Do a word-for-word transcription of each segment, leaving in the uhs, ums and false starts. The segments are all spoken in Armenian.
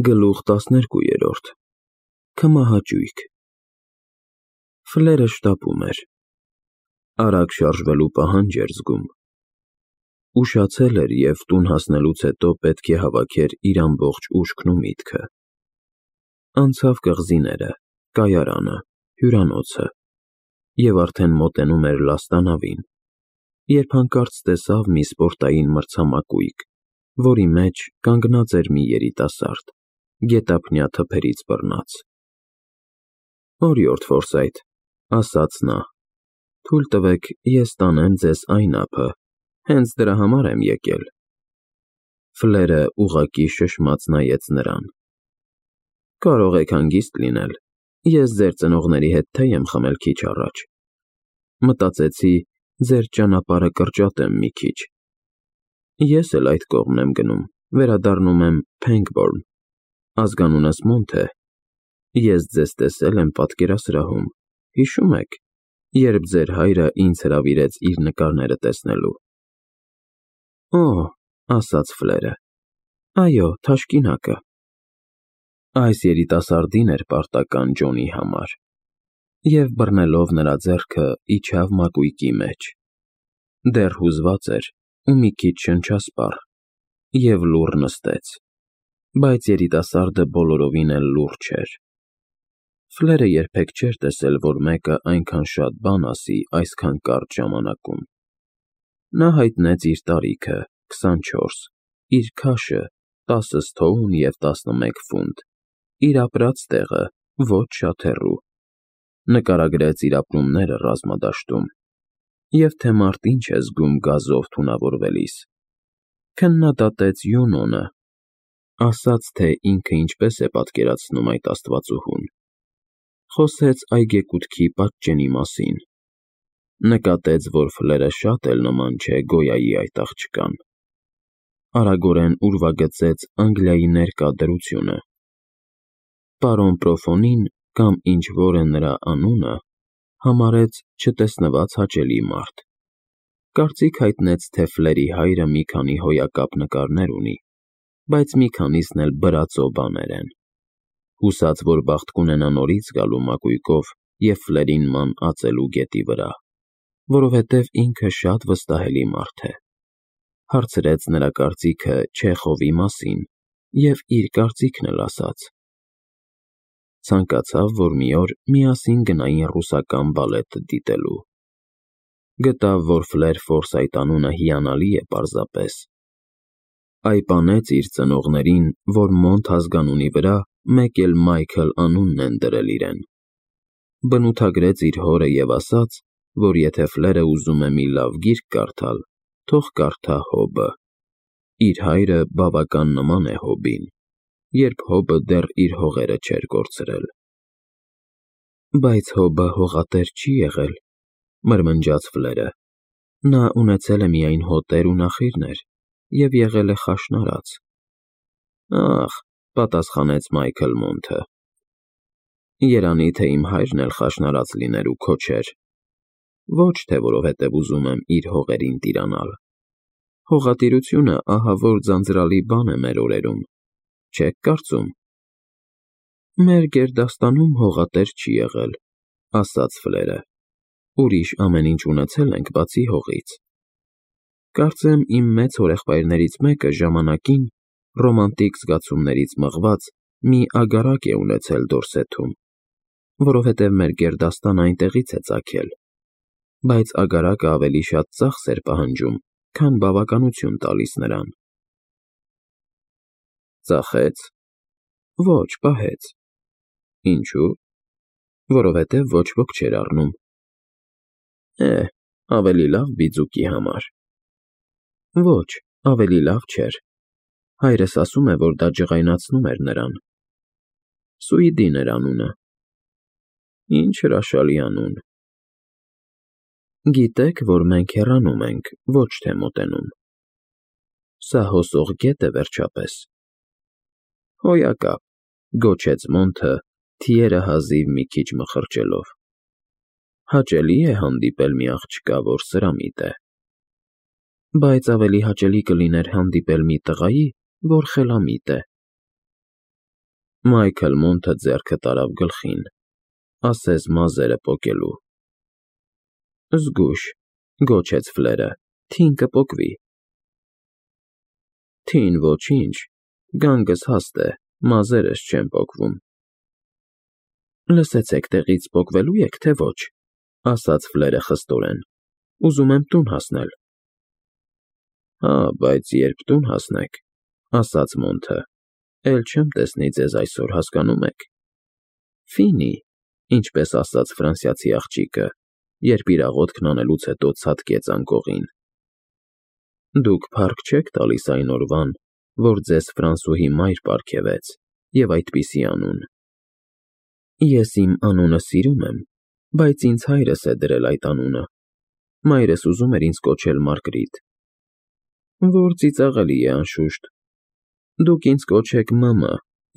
Գլուխ տասներկուերորդ Քմահաճույք Ֆլերը շտապում էր, արագ շարժվելու պահանջ էր զգում, ուշացել էր և տուն հասնելուց հետո պետք է հավաքեր իր ամբողջ ուշքն ու միտքը, անցավ կղզիները, կայարանը, հյուրանոցը և արդեն մոտենում էր լաստանավին, երբ հանկարծ տեսավ մի սպորտային մրցամակույկ, որի մեջ կանգնած էր մի երիտասարդ, գետափնյա թփերից բռնած: Օրիորդ Ֆորսայթ, ասաց նա, թույլ տվեք ես տանեմ ձեզ այն ափը, հենց դրա համար եմ եկել: Ֆլերը ուղղակի շշմած նայեց նրան: Կարող եք հանգիստ լինել, ես ձեր ծնողների հետ թեյ եմ խմել քիչ առաջ, մտածեցի ձեր ճանապարհը կրճատեմ մի քիչ: Ես էլ այդ կողմն եմ գնում, վերադառնում եմ Փենգբորն, ազգանունս Մոնթ է, ես ձեզ տեսել եմ պատկերասրահում, հիշո՞ւմ եք, երբ ձեր հայրը ինձ հրավիրեց իր նկարները տեսնելու: Օ, ասաց Ֆլերը, այո, թաշկինակը: Այս երիտասարդին էր պարտական Ջոնի համար, և բռնելով նրա ձեռքը իջավ մակույկի մեջ: Դեռ հուզված էր ու մի քիչ շնչասպառ և լուռ նստեց, բայց երիտասարդը բոլորովին էլ լուռ չէր: Ֆլերը երբեք չէր տեսել, որ մեկը այնքան շատ բան ասի այսքան կարճ ժամանակում: Նա հայտնեց իր տարիքը՝ քսանչորս, իր քաշը՝ տասը ստոուն և տասնմեկ ֆունտ, իր ապրած տեղը՝ ոչ շատ հեռու, նկարագրեց իր ապրումները ռազմադաշտում և թե մարդ ինչ է զգում գազով թունավորվելիս, քննադատեց Յունոնը, ասաց, թե ինքը ինչպես է պատկերացնում այդ աստվածուհուն, խոսեց այգեկութքի պատճենի մասին, նկատեց, որ Ֆլերը շատ էլ նման չէ Գոյայի այդ աղջկան, արագորեն ուրվագծեց Անգլիայի ներկա դրությունը: Պարոն Պրոֆոնին, կամ ինչ-որ է նրա անունը, համարեց չտեսնված հաճելի մարդ, կարծիք հայտնեց, թե Ֆլերի հայրը մի քանի հոյակապ նկարներ ունի, բայց մի քանիսն էլ բրածո բաներ են, հուսած, որ բախտ կունենա նորից գալու մակույկով և Ֆլերին ման ածելու գետի վրա, որովհետև ինքը շատ վստահելի մարդ է: Հարցրեց նրա կարծիքը Չեխովի մասին և իր կարծիքն էլ ասաց: Ցանկացավ, որ մի օր միասին գնային ռուսական բալետը դիտելու: Գտավ, որ Ֆլեր Ֆորսայթ անունը հիանալի է պարզապես, այպանեց իր ծնողներին, որ Մոնթ ազգանունի վրա մեկ էլ Մայքլ անունն են դրել իրեն: Բնութագրեց իր հորը և ասաց, որ եթե Ֆլերը ուզում է մի լավ գիրք կարդալ, թող կարդա Հոբը: Իր հայրը բավական նման է Հոբին, երբ Հոբը դեռ իր հողերը չէր կորցրել: Բայց Հոբը հողատեր չի եղել, մրմնջաց Ֆլերը, նա ունեցել է միայն հոտեր ու նախիրներ և եղել է խաշնարած: Ախ, պատասխանեց Մայքլ Մոնթը, երանի թե իմ հայրն էլ խաշնարած լիներ ու քո չէր, ոչ թե որովհետև ուզում եմ իր հողերին տիրանալ: Հողատիրությունը ահավոր ձանձրալի բան է մեր օրերում, չեք կարծում: Մեր գերդաստանում հողատեր չի եղել, ասաց Ֆլերը, ուրիշ ամեն ինչ ունեցել ենք բացի հողից: Կարծեմ իմ մեծ հորեղբայրներից մեկը ժամանակին, ռոմանտիկ զգացումներից մղված, մի ագարակ է ունեցել Դորսեթում, որովհետև մեր գերդաստանը այնտեղից է ծագել, բայց ագարակը ավելի շատ ծախս էր պահանջում, քան բավականություն տալիս նրան: Ծախե՞ց: Ոչ, պահեց: Ինչո՞ւ: Որովհետև ոչ ոք չէր առնում: Է, ավելի լավ բիձուկի համար: Ոչ, ավելի լավ չէր: Հայրս ասում է, որ դա ջղայնացնում էր նրան: Սուիդին էր անունը: Ինչ հրաշալի անուն: Գիտեք, որ մենք հեռանում ենք, ոչ թե մոտենում: Սա հոսող գետ է վերջապես: Հոյակապ, գոչեց Մոնթը, թիերը հազիվ մի քիչ մխրճելով: Հաճելի է հանդիպել մի աղջկա, որ սրամիտ է: Բայց ավելի հաճելի կլիներ հանդիպել մի տղայի, որ խելամիտ է: Մայքլ Մոնթը ձեռքը տարավ գլխին, ասես մազերը պոկելու։ Զգույշ, գոչեց Ֆլերը, թին կպոկվի։ Թին ոչինչ, գանգս հաստ է, մազերս չեն պոկվում։ Լսեցեք, տեղից պոկվելու եք, թե ոչ, ասաց Ֆլերը խստորեն, ուզում եմ տուն հասնել։ Հա, բայց երբ տուն հասնեք, ասաց Մոնթը, էլ չեմ տեսնի ձեզ այսօր, հասկանում եք։ Ֆինի, ինչպես ասաց ֆրանսիացի աղջիկը, երբ իր աղոթքն անելուց հետո ցատկեց անկողին։ Դուք փառք չեք տալիս այն օրվան, որ ձեզ ֆրանսուհի մայր պարգևեց, և այդպիսի անուն։ Ես իմ անունը սիրում եմ, բայց ինձ հայրս է դրել այդ անունը։ Մայրս ուզում էր ինձ կոչել Մարգրիտ։ Որ ծիծաղելի է, անշուշտ։ Դուք ինձ կոչեք մըմը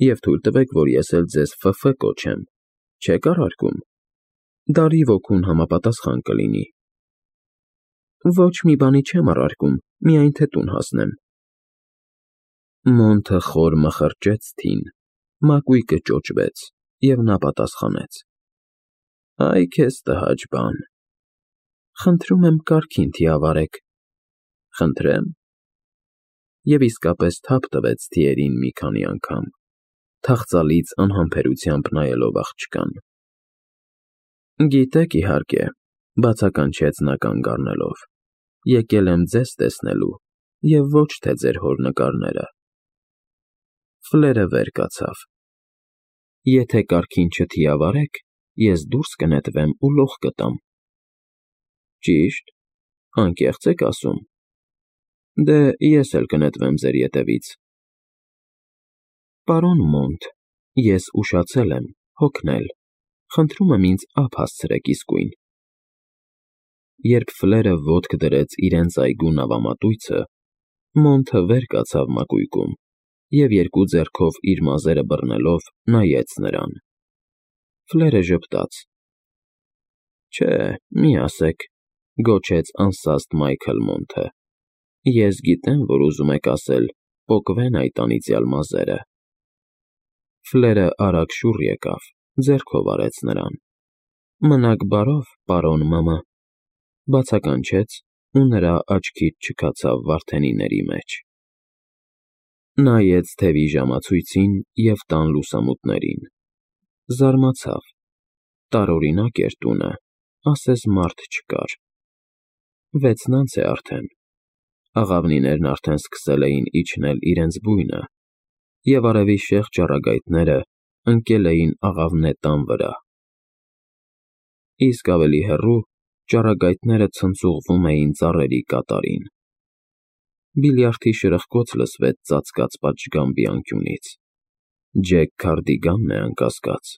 և թույլ տվեք, որ ես էլ ձեզ ֆը կոչեմ, չեք առարկում։ Դարի ոգուն համապատասխան կլինի։ Ոչ մի բանի չեմ առարկում, միայն թե տուն հասնեմ։ Մոնթը խոր մխրճեց թին, մակույկը ճոճվեց, և նա պատասխանեց. Այ քեզ տհաճ բան։ Խնդրում եմ կարգին թիավարեք։ Խնդրեմ։ Եվ իսկապես թափ տվեց թիերին մի քանի անգամ, թախծալից անհամբերությամբ նայելով աղջկան։ Գիտեք, իհարկե, բացականչեց նա կանգ առնելով, եկել եմ ձեզ տեսնելու և ոչ թե ձեր հոր նկարները։ Ֆլերը վեր կացավ։ Եթե կարգին չթիավարեք, ես դուրս կնետվեմ ու լող կտամ։ Ճիշտ, անկեղծ եք ասում։ Դե ես էլ կնետվեմ ձեր ետևից։ Պարոն Մոնթ, ես ուշացել եմ, հոգնել, խնդրում եմ ինձ ափ հասցրեք իսկույն։ Երբ Ֆլերը ոտք դրեց իրենց այգու նավամատույցը, Մոնթը վեր կացավ մակույկում և երկու ձեռքով իր մազերը բռնելով նայեց նրան։ Ֆլերը ժպտաց։ Չէ, մի ասեք, գոչեց անսաստ Մայքլ Մոնթը։ Ես գիտեմ, որ ուզում եք ասել, պոկվեն այդ անիծյալ մազերը։ Ֆլերը արագ շուռ եկավ, ձեռքով արեց նրան։ Մնաք բարով, պարոն մըմը, բացականչեց ու նրա աչքից չքացավ վարդենիների մեջ։ Նայեց թևի ժամացույցին և տան լուսամուտներին։ Զարմացավ։ Տարօրինակ էր տունը, ասես մարդ չկար։ Վեցն անց է արդեն։ Աղավնիներն արդեն սկսել էին իջնել իրենց բույնը, և արևի շեղ ճառագայթները ընկել էին աղավնե տան վրա։ Իսկ ավելի հեռու ճառագայթները ցնցուղվում էին ծառերի կատարին։ Բիլիարդի շրխկոց լսվեց ծածկած պատշգամբի անկյունից։ Ջեք Քարդիգանն է, անկասկած։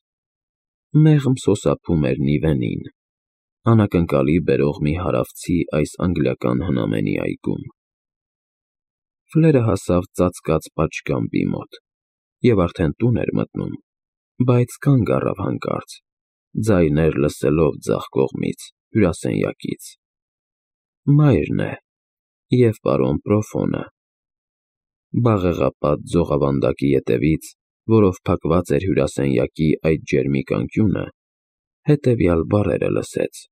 Մեղմ սոսափում էր Նիվենին, անակնկալի բերող մի հարավցի այս անգլիական հնամենի այգում։ Ֆլերը հասավ ծածկած պատշգամբի մոտ և արդեն տուն էր մտնում, բայց կանգ առավ հանկարծ, ձայներ լսելով ձախ կողմից, հյուրասենյակից։ Մայրն է և պարոն Պրոֆոնը։ Բաղեղապատ ձողավանդակի ետևից, որով փակված էր հյուրասենյակի այդ ջերմիկ անկյունը, հետևյալ բառերը լսեց.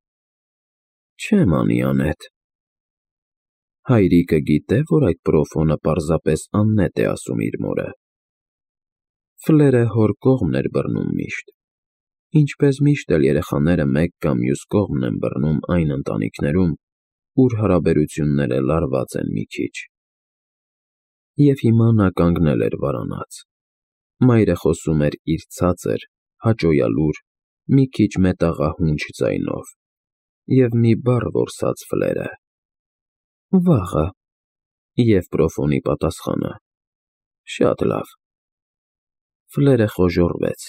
Չեմ անի անետ։ Հայրիկը գիտե, որ այդ Պրոֆոնը պարզապես աննետ է ասում իր մորը։ Ֆլերը հոր կողմն էր բռնում միշտ, ինչպես միշտ էլ երեխաները մեկ կամ մյուս կողմն են բռնում այն ընտանիքներում, ուր հարաբերությունները լարված են մի քիչ։ Եվ հիմա նա կանգնել էր վարանած։ Մայրը խոսում էր իր ցածր, հաճոյալուր, մի քիչ մետաղահունչ ձայնով, և մի բառ որսաց Ֆլերը. Վաղը։ Եվ Պրոֆոնի պատասխանը. Շատ լավ։ Ֆլերը խոժոռվեց։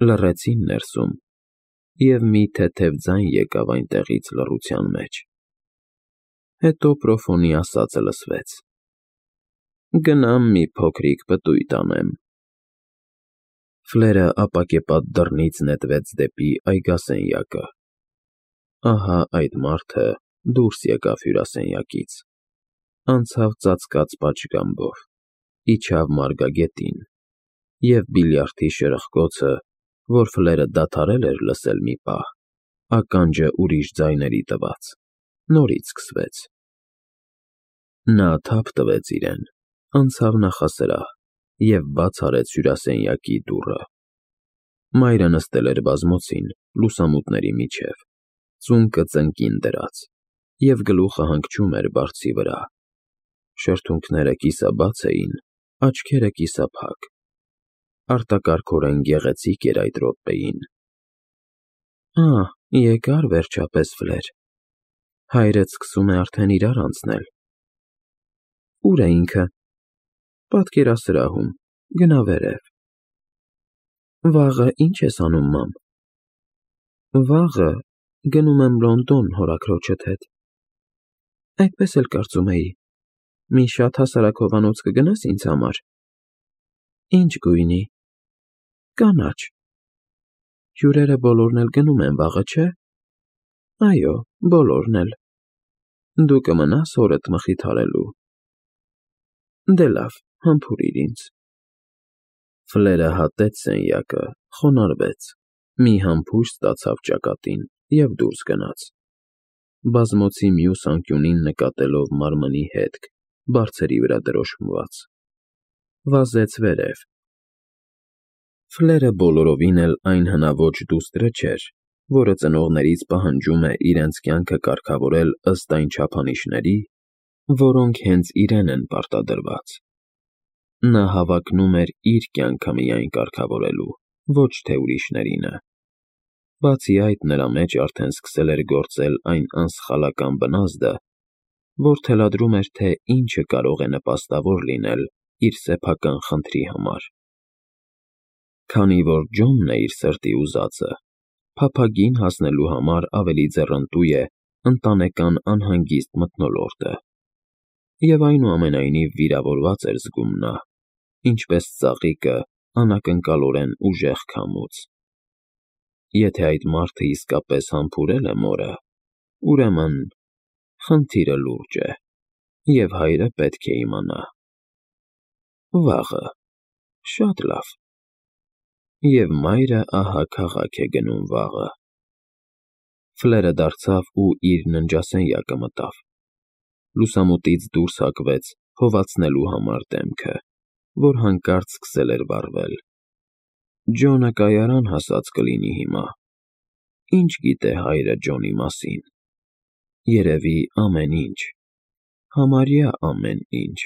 Լռեցին ներսում, և մի թեթև ձայն եկավ այնտեղից լռության մեջ։ Հետո Պրոֆոնի ասածը լսվեց. Գնամ մի փոքրիկ պտույտ անեմ։ Ֆլերը ապակեպատ դռնից նետվեց դեպի այգասենյակը։ Ահա այդ մարդը դուրս եկավ հյուրասենյակից, անցավ ծածկած պատշգամբով, իջավ մարգագետին, և բիլիարդի շրխկոցը, որ Ֆլերը դադարել էր լսել մի պահ, ականջը ուրիշ ձայների տված, նորից սկսվեց։ Նա թափ տվեց իրեն, անցավ նախասրահ և բաց արեց հյուրասենյակի դուռը։ Մայրը նստել էր բազմոցին, լուսամուտների միջև, ծունկը ծնկին դրած, և գլուխը հանգչում էր բարձի վրա։ Շրթունքները կիսաբաց էին, աչքերը կիսափակ։ Արտակարգորեն գեղեցիկ էր այդ րոպեին։ Ա, եկա՞ր վերջապես, Ֆլեր, հայրդ սկսում է արդեն իրար անցնել։ Ո՞ւր է ինքը։ Պատկերասրահում, գնա վերև։ Վաղը ի՞նչ ես անում, մամ։ Վաղը գնում եմ Լոնդոն հորաքրոջդ հետ։ Այդպես էլ կարծում էի։ Մի շատ հասարակ հովանոց կգնաս ինձ համար։ Ինչ գույնի։ Կանաչ։ Հյուրերը բոլորն էլ գնում են վաղը, չէ։ Այո, բոլորն էլ։ Դու կմնաս հորդ մխիթարելու։ Դե լավ, համբուրիր ինձ։ Ֆլերը հատեց սենյակը, խոնարհվեց, մի համբույր ստացավ ճակատին և դուրս գնաց, բազմոցի մյուս անկյունին նկատելով մարմնի հետք, բարձերի վրա դրոշմված։ Վազեց վերև։ Ֆլերը բոլորովին էլ այն հնաոճ դուստրը չէր, որը ծնողներից պահանջում է իրենց կյանքը կարգավորել ըստ այն չափանիշների, որոնք հենց իրեն են պարտադրված։ Նա հավակնում էր իր կյանքը միայն կարգավորելու, ոչ թե ուրիշներինը։ Բացի այդ, նրա մեջ արդեն սկսել էր գործել այն անսխալական բնազդը, որ թելադրում էր, թե ինչը կարող է նպաստավոր լինել իր սեփական խնդրի համար։ Քանի որ Ջոնն է իր սրտի ուզածը, փափագին հասնելու համար ավելի ձեռնտու է ընտանեկան անհանգիստ մթնոլորտը։ Եվ այնուամենայնիվ վիրավորված էր զգում նա, ինչպես ծաղիկը անակնկալորեն ուժեղ քամուց։ Եթե այդ մարդը իսկապես համբուրել է մորը, ուրեմն խնդիրը լուրջ է, և հայրը պետք է իմանա։ Վաղը, շատ լավ։ Եվ մայրը ահա քաղաք է գնում վաղը։ Ֆլերը դարձավ ու իր ննջասենյակը մտավ։ Լուսամուտից դուրս հակվեց հովացնելու համար դեմքը, որ հանկարծ սկսել էր վառվել։ Ջոնը կայարան հասած կլինի հիմա։ Ինչ գիտե հայրը Ջոնի մասին։ Երևի ամեն ինչ, համարյա ամեն ինչ։